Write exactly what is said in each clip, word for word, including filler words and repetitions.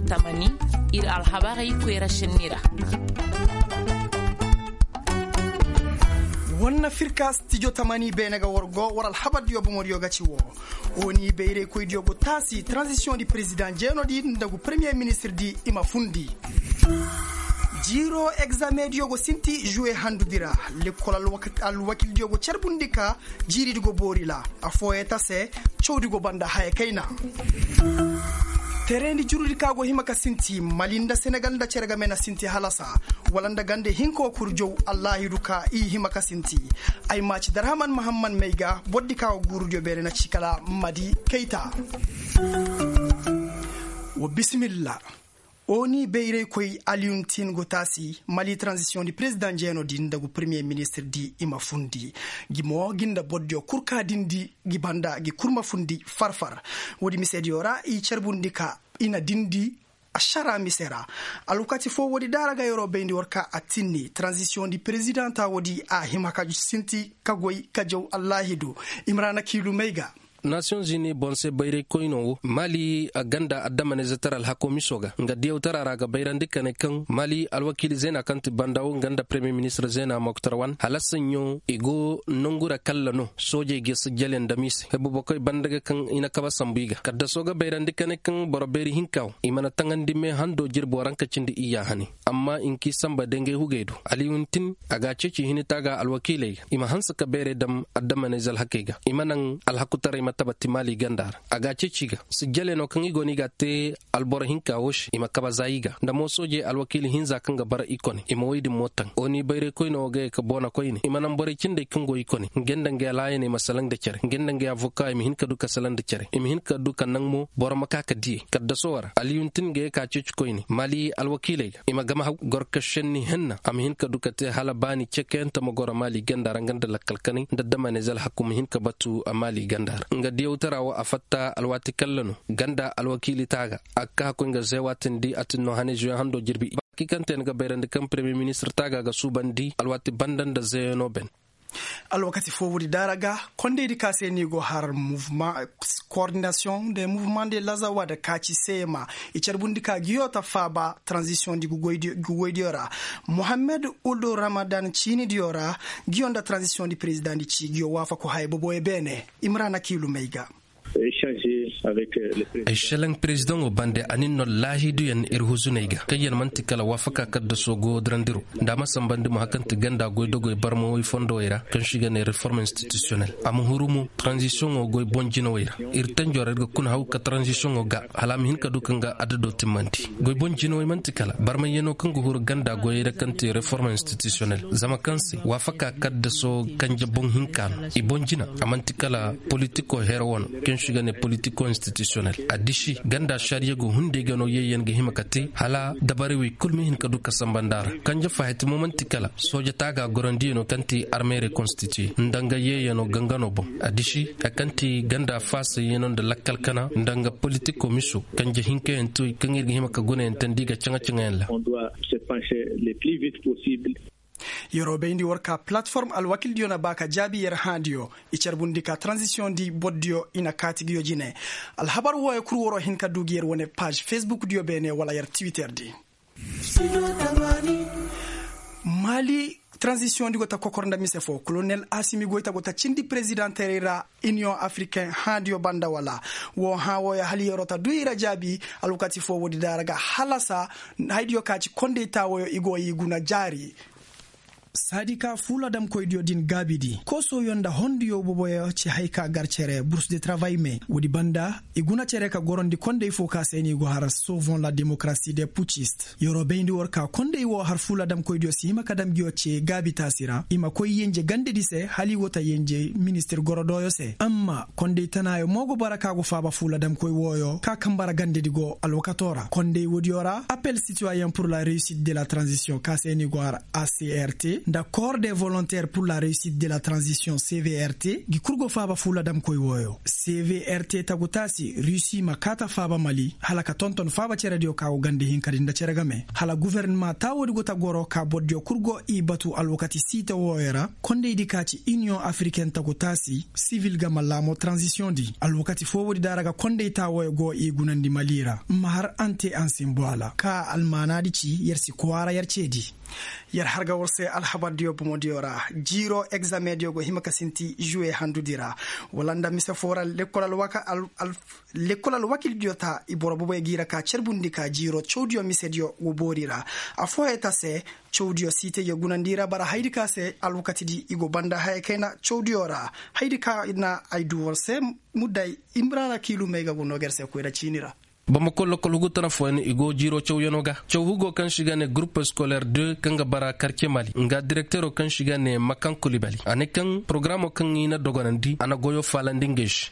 Tamani, ir alhabarey koyra šenni ra. War na fir ka stijo tamani beene ga war go war alhabardiyo bomodiyo ga ci woo. Oni bayraykoydiyo go taasi transisiyoŋ di perezidaŋ jeenodi nda gu peremiye ministirdi i ma fundi. Jiiroo egzamediyo go sinti žuwe handudi ra. Lekkol alwakildiyo go carbundi ka jiiridi go boori ra. Affooyey ta se cawdi go banda haya kayna. Tereendi jurudi ka go hima ka sinti mali nda senegal nda cere game na sinti halasa. Wala nda gande hinka wo kurjow allaahidu ka i hima ka sinti. Ay maaci darhaman mahamman may ga bordi ka go guurudiyo beene na ci kala madi kayta. Wa bisimilla. Oni bayraykoy aliyuntin go taasi mali transisiyoŋ di perezidaŋ jeenodi nda gu peremiye ministirdi i ma fundi. Gi mo gi nda bordiyo kul ka dindi gi banda gi kul ma fundi farfar. Woodi misediyo ra i carbundi ka i na dindi ašara mise ra. Alwakati foo woodi daara ga yeroo bayndi war ka a tinni transisiyoŋ di perezidaŋ ta woodi a hima ka sinti ka goy ka jaw allaahidu. Imrana kiilumey ga. Nasiyoŋ zini boŋ se bayraykoynoo wo mali a ganda addamanayzetaray alhakoo miso ga nga diyawtara ra ga bayrandi ka ne kaŋ mali alwakiili zeena kaŋ ti banda wo nga nda peremiye ministir zeena moktar wan hala saɲɲo i go nongu ra kalla no soojey ga sijjaliyaŋ dam i se hebubokoy banda ga kaŋ i na kaba sambu i ga kaddasoo ga bayrandi ka ne kaŋ boro beeri hinka wo i mana taŋandi me hando jirbo ra nga ka cindi iyya hane. Amma i nki samba dangay hugey do aliyuntin a ga a ceeci hinita ga alwakiiley ga i ma hanse ka beerey dam addamanayze alhakey ga i ma naŋ alhakutaray ma tabati maali ganda ra. A ga a ceeci ga sijjale no kaŋ i go no i ga a te alboro hinka wo se i ma kaba za i ga nda mo soojey alwakiili hinza kaŋ ga bara i kone i ma woy din mo taŋ oni bayraykoyne wo ga ye ka boona koyne i ma naŋ borey cindey kaŋ go i kone ngey nda ngey alaayaney ma salaŋ nda cere ngey nda ngey avoka i ma hin ka du ka salaŋ nda cere i ma hin ka du ka naŋ mo boro ma ka ka diyey kaddaso ra aliyuntin ga ye ka ceeci koyne maali alwakiiley ga i ma gama haw gorka šenni henna a ma hin ka du ka te hala baani cekeyante ma goro maali ganda ra nga nda lakkal kanay nda damaney zalhaku ma hin ka batu a maali ganda ra nga diyawtara wo a fatta alwaati kalla no ganda alwakiili taaga a ga ka koy nga zeewaatindi a tin no hane zuwe hando jirbi. Baaki kaŋ te ni ga bayrandi kaŋ peremiye ministir taaga ga suubandi alwaati banda nda zeeyano ben. Alwakati foo woodi daara ga kondaydi ka se ni go har mouvement koordinasiyoŋ de mouvement de lazawa da kaaci seema i carbundi ka ngiyo ta faaba taranzisiyoŋ di ngi goydiyo ra. Mohammed uldu ramadan ciinidiyo ra ngiyo nda taranzisiyoŋ di perezidaŋ di ci ngiyo waafaku haya boboyo beene. Imrana kiilumey ga. Ay šelaŋ perezidaŋo bande a nin no laahiduyaŋ ir huzuney ga kaŋyaŋ man'ti kala waafaka kaddasoo goyo dirandiro nda a ma sanbandi mo hari kaŋ ti ganda goy dogoy barmawey fondowey ra kaŋ se i ga ne reform institusiyonel a ma huru mo taranzisiyoŋo goy boŋ jinawey ra. Ir tanjo ra ir ga kuna haw ka taranzisiyoŋo ga hala a ma hin ka du ka nga adado timmandi. Goy boŋ jinawey man'ti kala barmayyano kaŋ ga huru ganda goyey ra kaŋ ti reform institusiyonel zama kaŋ se waafaka kaddasoo kanje boŋ hinka no i boŋ jina a man'ti kala politiko hero wano kaŋ se i ga ne politiko institusiyonel a disi ganda sariya go hunday ga no yeeyaŋ ga hima ka te hala dabarey wey kulu ma hin ka du ka samba nda a ra. Kanje fahati mo man'ti kala sooja taaga gorandiyaŋo kaŋ ti armeerey konstitiye nda nga yeeyaŋo gangano boŋ a disi hari kaŋ ti ganda faasayyaŋo nda lakkal kana nda nga politiko miso kanje hinkayaŋ ti wey kaŋ ir ga hima ka gunayaŋ tandi ga caŋa-caŋayaŋ ra. Yeroo bayndi war ka palatiform alwakildiyo na ba ka jaabi yer hãadiyo i carbundi ka taranzisiyoŋ di bordiyo i na kaati nguyo jine. Alhabar wooyo kul waroo hin ka du gi yer wane paaž fesbukdiyo beene wala yer tiwiterdi. Maali taranzisiyoŋ di go ta kokor nda mise foo kolonel asimi goyta go ta cindi perezidaŋteerey ra iniyoŋ afrikaŋ hãadiyo banda wala? Woo hãa wooyo hala yeroo ta du i ra jaabi. Alwakati foo woodi daara ga halasa haydiyo ka ci kondey taawooyo i go i guna jaari. Saadi ka fuuladamkoydiyo din gaabidi koosooyo nda honduyo boboyo ci hay ka gar cere burs de travay me woodi banda i guna cere ka gorondi kondey foo ka se ni go har sovoŋ la demokarasi de pucist. Yeroo bayndi war ka kondey woo har fuuladamkoydiyo si hima ka dam nguyo ce gaabitaasi ra i ma koy yenje gandedi se hala i go ta yenje ministir gorodooyo se amma kondey tanaayo mo go bara ka go faaba fuuladamkoy wooyo ka kambara gandedi go alwakatoo ra kondey woodiyo ra appel sitiwayen pur la reusit de la taranzisiyoŋ ka se ni go har acrt. Nda corps de volontaire pour la réussite de la transition cvrt gi kurgo faaba fuula damkoy wooyo cvrt tagu taasi rusi ma kaata faaba mali hala ka tonton faaba cerediyo ka go ganda hinkadi nda cere game hala guvernama taawoodi go ta goro ka bordiyo kurgo i batu alwakati siita wooyo ra kondaydi ka ci union africaine tagu taasi sivil game laamo transition di alwakati foowoodi da ra ga konday taawooyo go i gunandi mali ra ma har ante ansimboala ka almaanaadi ci yer si kwaara yer ceedi. Yer har ga war se alhabardiyo bomodiyo ra jiiro egzameŋdiyo go hima ka sinti žuwe handudi ra wala nda mise foo ra lekkol alwakildiyo ta i boro boboyo ga i ra ka cerbundi ka jiiro cawdiyo misediyo go boori ra. Affooyaŋ ta se cawdiyo siitey ga gunandi i ra bara hayadi ka se alwakatidi i go banda haya kayna cawdiyo ra. Hayadi ka na ay du war se mudday imrana kiilumey ga go noo ga yer se koyra ciini ra. Bamako lokol hugu tana fooyaŋ i go jiiro cawyanoo ga caw hugo kaŋ se i ga ne gurup scolaire deux kaŋ ga bara karce mali nga direktero kaŋ se i ga ne makan kulibali a ne kaŋ porogaramoo kaŋ i na dogonandi a na goyoo faalandi ngey se.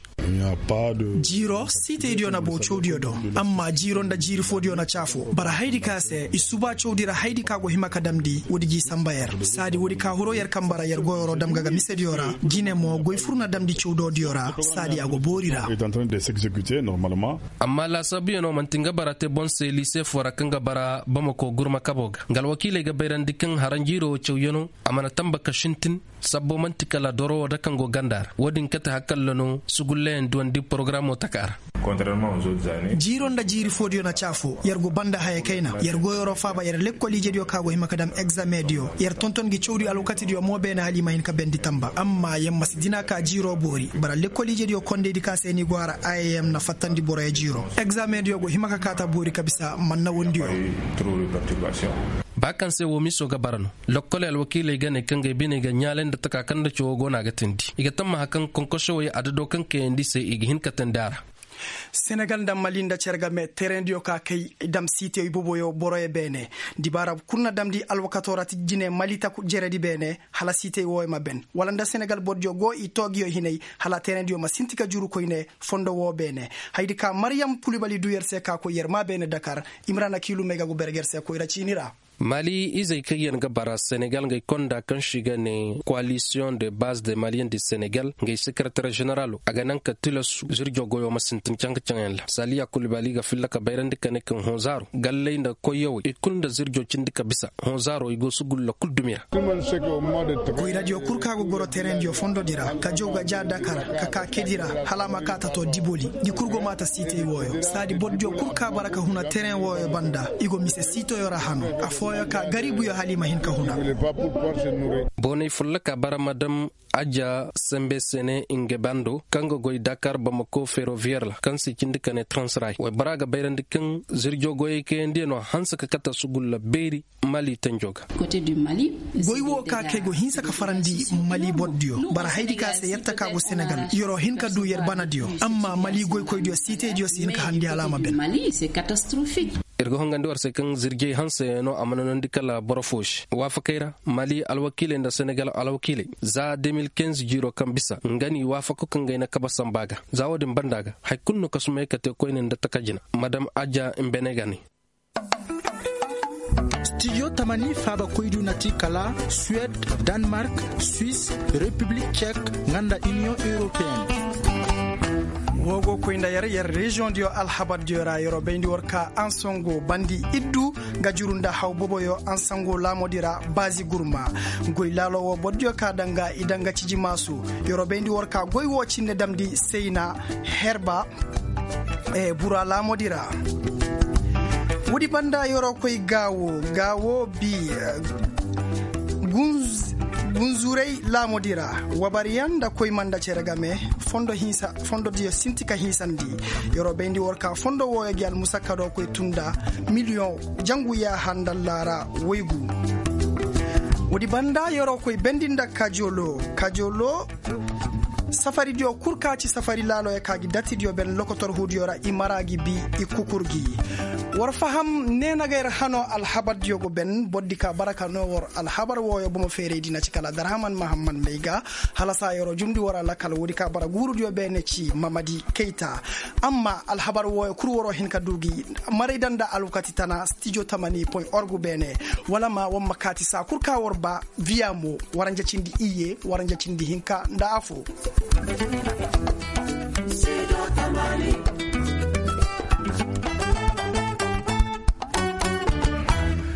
Jiiro siitaydiyo na boo cawdiyo do. Amma jiiro nda jiiri foodiyo na caafo bara hayadi ka se i suba cawdi ra hayadi ka go hima ka damndi woodi g'i samba yer saadi woodi ka hiro yer kamba ra yer goyoro dam ga ga misediyo ra. Jine mo goy fur na damndi cawdoodiyo ra saadi a go boori ra. Amma laasaabuyanoo man'ti nga bara te boŋ se liise foo ra kaŋ ga bara bamako gurma kaboo ga nga alwakiiley ga bayrandi kaŋ haranjiiroo wo cawyanoo a mana tamba ka sintin. Sabbo man'ti kala doro wo da kaŋ go ganda ra wo-din kate hakalla no sugullayaŋ duwandi porogaramoo taka ra. Jiiro nda jiiri foodiyo na caafo yer go banda haya kayna yer goyoro faaba yer lekkol ijediyo ka go hima ka dam egzameŋdiyo yer tonton gi cawdi alwakatidiyo mo beene hala i ma hin ka bendi tamba amma yer ma si dina ka jiiro boori bara lekkol ijediyo kondaydi ka se ni go a ra. Im na fattandi boroyo jiiro egzameŋdiyo go hima ka kaata boori ka bisa manna wondiyo. Ba kaŋ se woo miso ga bara no lokkoley alwakiiley ga ne kaŋ ga ay biney ga ɲaalay nda taka kaŋ nda cawoo go no a ga teendi i ga tammaha kaŋ konkosowey adadoo kaŋ kayandi se i ga hin ka teendi a ra. Senegal nda mali nda cere game tereŋdiyo ka kay dam siitey boboyo boroyo beene. Dibaara kul na damndi alwakatoo ra ti jine mali taku jeredi beene hala siitey wooyo ma ben wala nda senegal bordiyo go i toogiyo hinay hala tereŋdiyo ma sinti ka juru koyne fondo woo beene. Hayadi ka maryam kulibali du yer se ka koy yer maa beene dakar. Imrana kiilumey ga go berge yer se koyra ciini ra. Mali izey kaŋ yaŋ ga bara senegal ngey konda kaŋ se i ga ne koalisiyoŋ de base de maliyen de senegal ngey sekereter ženeralo a ga naŋ ka tilasu zirjo goyo ma sintin caŋ-ka-caŋ yaŋ ra saliya kulbali ga filla ka bayrandi ka ne kaŋ honzaaro galley nda koyyawey i kul nda zirjo cindi ka bisa honzaaro i go sugulla kul dumi ra. Goyradiyo kul ka go goro terendiyo fondodi ra ka jaw ga ja dakar ka ka kedi ra hala a ma ka tato diboli. Ngi kul go maata siitey wooyo saadi bordiyo kul ka bara ka huna teren wooyo banda i go mise siitoyo ra hano. Affooyo ka garibuyo hala i ma hin ka huna. Booney folloka bara ma dam aja sembe sene nge bando kaŋ ga goy dakar bamako ferrovier ra kaŋ se i cindi ka ne transrail waybora ga bayrandi kaŋ zirjo goyey kayandi no hanse ka kate sugulla beeri. Mali tanjo ga. Goy wo ka kay go hinsa ka farandi mali bordiyo bara haydi ka se yer taka go senegal yer'o hin ka du yer banadiyo. Amma mali goykoydiyo siitaydiyo si hin ka handi hala a ma ben. Ir ga hongandi war se kaŋ zirjey hanseyaŋ no a mana nondi kala boro fo se waafakey ra. Mali alwakiiley nda senegal alwakiiley za deux mille quinze jiiro kaŋ bisa nga n'i waafako ka ngey na kaba samba ga. Za wo-din banda ga hari kulu no kasumey ka te koyne nda taka jina. Madam aja mbene ga ne. Stijo tamani faaba koydu na ti kala suwed, danmark, suis, repiblik cek, nga nda iniyoŋ europeen. Woo go koy nda yer yer reziyoŋ diyo alhabar diyo ra yer'o bayndi war ka ansango bandi iddu ga juru nda haw boboyo ansango laamodi ra. Baazi gurma goy laalo woo boro diyo ka danga i danga ciji maasu. Yer'o bayndi war ka goy woo cinne damndi sayna herba. Bura laamodi ra. Woodi banda yer'o koy gaawo gaawo bi gunzuray laamodi ra. Wabariyaŋ nda koy manda cere game fondo diyo sinti ka hiisandi. Yer'o bayndi war ka fondo wooyo gi almusakkadoo koy tun nda miliyoŋ jangu yaaha nda allaara woygu. Woodi banda yer'o koy bayndi nda kajolo kajolo. Safaridiyo kul ka ci safari laaloyo ka gi dattidiyo ben lokotor huudiyo ra i mara gi bi i kukur gi. War faham ne na ga yer hanoo alhabardiyo go ben bordi ka bara ka noo war alhabar wooyo bomo feeraydi na ci kala darhaman mahammad may ga. Hala saa yer'o jumndi war a lakal woodi ka bara guurudiyo beene ci mamadi kayta. Amma alhabar wooyo kul war'o hin ka duu gi maray daŋ nda alwakati tana stijo tamani point org beene. Wala ma war ma kaati saa kul ka war ba viya mo. Waranja cindi iyye waranja cindi hinka nda afo.